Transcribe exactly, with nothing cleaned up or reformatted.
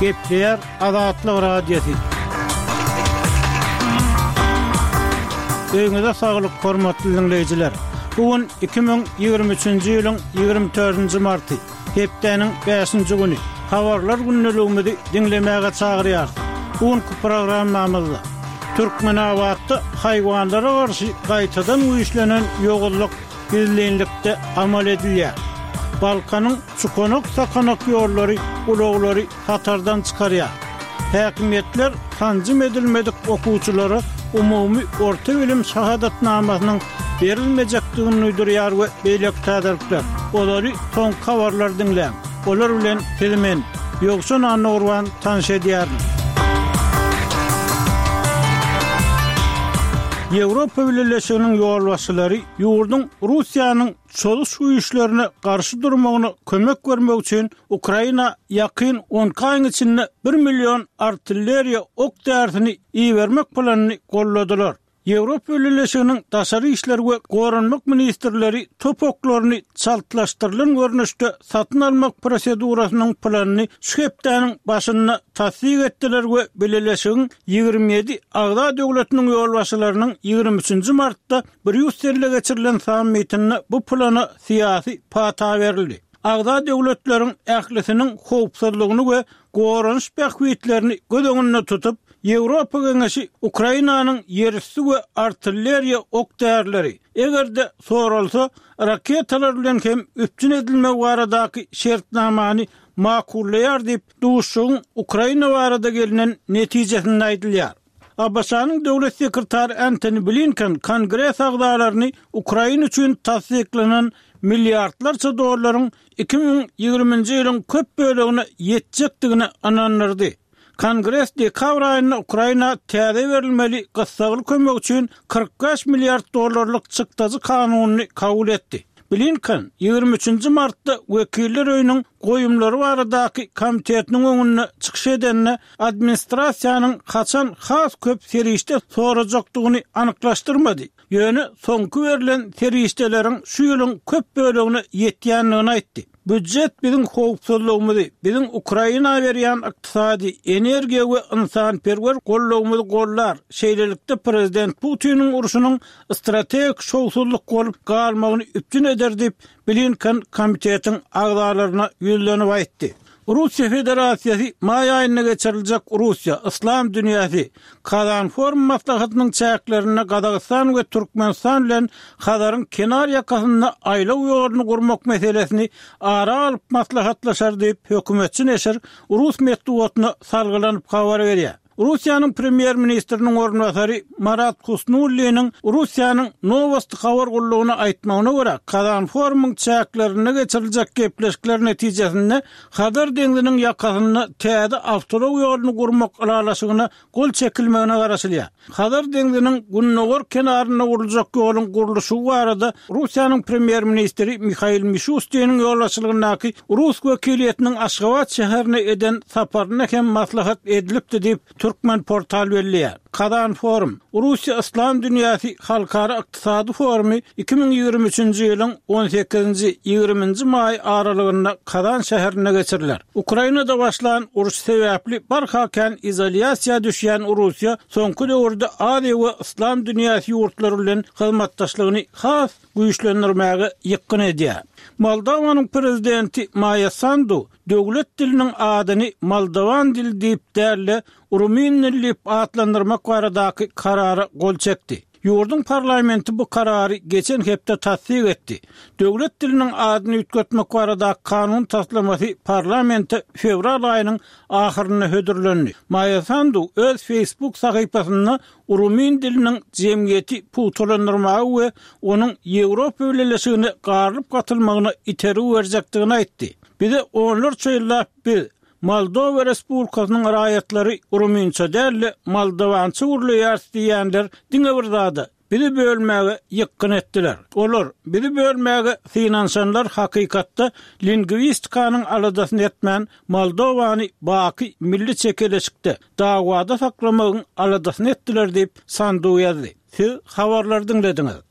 Gepleýär Azatlyk Radiosy. Öýüňize saglyk, hormatly diňleýjiler. Bu gün iki müň ýigrimi üçünji ýylyň ýigrimi dördünji marty, hepdäniň bäşinji güni. Habarlar gündeligimizi diňlemäge çagyrýarys. Bu günki programmamyzda Türkmenabatda haýwanlara garşy gaýtadan güýçlenen ýowuzlyk gizlinlikde amal edilýär. Balkanyň çukanak-sakanak ýollary ulaglary hatardan çykarýar. Häkimiýetler sanjym edilmedik okuwçylara umumy orta bilim şahadatnamasynyň berilmejekdigini duýdurýar we beýleki täzelikler. Olary soňky habarlar diňläň. Olar bilen sizi men, Ýowşan Annagurban tanyş edýärin. Ýewropa Bileleşiginiň ýolbaşçylary ýurduň Russiýanyň çozuş güýçlerine garşy durmagyna kömek bermek üçin Ukraina ýakyn on iki aýyň içinde bir million artilleriýa ok därisini ibermek planyny golladylar. Ýewropa Bileleşiginiň daşary işler we goranmak ministrleri top oklaryny çaltlaşdyrylan görnüşde satyn almak prosedurasynyň planyny şu hepdäniň başynda tassyk etdiler we Bileleşigiň ýigrimi ýedi agza döwletiniň ýolbaşçylarynyň ýigrimi üçünji martda Brýusselde geçirilen sammitinde bu plana syýasy pata berildi. Agza döwletleriň ählisiniň howpsuzlygyny we goranyş bähbitlerini göz öňünde tutup, Ýewropa Geňeşi Ukrainanyň ýerüsti we artilleriýa ok därileri, eger-de soralsa, raketalar bilen hem üpjün edilmegi baradaky şertnamany makullaýar diýip, duşuşygyň Ukraina barada gelnen netijesinde aýdylýar. A B Ş-nyň döwlet sekretary Antony Blinken Kongres agzalaryny Ukraina üçin tassyklanan milliardlarça dollaryň iki müň ýigriminji ýylyň köp bölegine ýetjekdigine ynandyrdy. Kongres dekabr aýynda Ukraina täze berilmeli gyssagly kömek üçin kyrk bäş milliard dollarlyk çykdajy kanunyny kabul etdi. Blinken ýigrimi üçünji martda Wekiller öýüniň goýumlary baradaky komitetiniň öňünde çykyş edende administrasiýanyň haçan has köp serişde sorajakdygyny anyklaşdyrmady. Ýöne soňky berlen serişdeleriň şu ýylyň köp bölegine ýetýändigini aýtdy. Büdjet biziň howpsuzlygymyzy, biziň Ukraina berýän ykdysady, energiýa we ynsanperwer gollagymyzy gollar. Şeýlelikde prezident Putiniň urşunyň strategik şowsuzlyk bolup galmagyny üpjün eder diýip, Blinken komitetiň agzalaryna ýüzlenip aýtdy. Russiýa Federasiýasy maý aýynda geçiriljek Russiýa, Yslam dünýäsi, Kazan forum maslahatynyň çäklerinde Gazagystan we Türkmenistan bilen Hazaryň kenar ýakasynda aýlaw ýoluny gurmak meselesini ara alyp maslahatlaşar diýip, hökümetçi neşir Rus metbugatyna salgylanyp habar berýär. Russiýanyň premýer-ministriniň orunbasary Marat Husnulliniň Russiýanyň Nowosti habar gullugyna aýtmagyna görä, Kazan forumyň çäklerinde geçiriljek gepleşikler netijesinde Hazar deňziniň ýakasynda täze awtoulag ýoluny gurmak ylalaşygyna gol çekilmegine garaşylýar. Hazar deňziniň gündogar kenarynda guruljak ýoluň gurluşygy barada Russiýanyň premýer-ministri Mihail Mişustiniň ýolbaşçylygyndaky Rus wekiliýetiniň Aşgabat şäherine eden saparynda hem maslahat edilipdi diýip, Türkmen portal belleýär. Kazan forum, Russiýa Yslam dünýäsi halkara ykdysady forumy iki müň ýigrimi üçünji ýylyň on sekizinji, ýigriminji maý aralygynda Kazan şäherinde geçiriler. Ukrainada başlan uruş sebäpli barha kän izolýasiýa düşýän Russiýa soňky döwürde Aziýa we Yslam dünýäsi ýurtlary bilen hyzmatdaşlygyny has güýçlendirmäge ýykgyn edýär. Moldowanyň prezidenti Maýa Sandu döwlet diliniň adyny Moldowan dili diýip däl-de, Rumin dili diýip atlandyrmak baradaky karara gol çekdi. Ýurduň parlamenti bu karary geçen hepde tassyk etdi. Döwlet diliniň adyny üýtgetmek baradaky kanun taslamasy parlamente fewral aýynyň ahyrynda hödürlendi. Maýa Sandu öz Facebook sahypasynda Rumin diliniň jemgyýeti pugtalandyrmagy we onuň Ýewropa Bileleşigine garylyp gatylmagyna itergi berjekdigini aýtdy. Bize onlarça ýyllap biz Moldowa Respublikasynyň raýatlary ruminça däl-de moldowança gürleýäris diýenler diňe bir zada bizi bölmäge ýykgyn etdiler. Olar bizi bölmäge synanyşanlar hakykatda lingwistikanyň aladasyny etmän Moldowany baky milli çekeleşikde dawada saklamagyň aladasyny etdiler diýip Sandu ýazdy. Siz habarlar diňlediňiz.